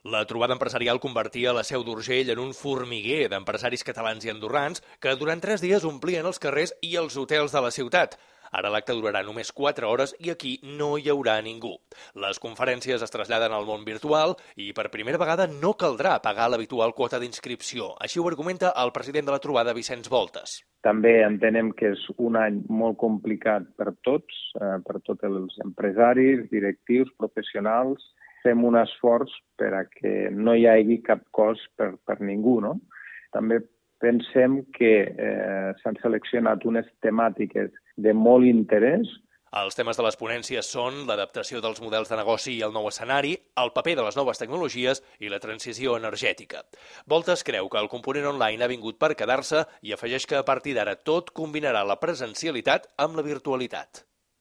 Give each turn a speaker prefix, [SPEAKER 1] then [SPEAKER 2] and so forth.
[SPEAKER 1] La trobada empresarial convertia la Seu d'Urgell en un formiguer d'empresaris catalans i andorrans que durant 3 dies omplien els carrers i els hotels de la ciutat. Ara l'acte durarà només 4 hores i aquí no hi haurà ningú. Les conferències es traslladen al món virtual i per primera vegada no caldrà pagar l'habitual quota d'inscripció. Així ho argumenta el president de la trobada, Vicenç Voltes.
[SPEAKER 2] També entenem que és un any molt complicat per tots els empresaris, directius, professionals. Fem un esforç per a que no hi hagi cap cost per ningú, no? També pensem que s'han seleccionat unes temàtiques de molt interès.
[SPEAKER 1] Els temes de les ponències són l'adaptació dels models de negoci i el nou escenari, el paper de les noves tecnologies i la transició energètica. Voltes creu que el component online ha vingut per quedar-se i afegeix que a partir d'ara tot combinarà la presencialitat amb la virtualitat.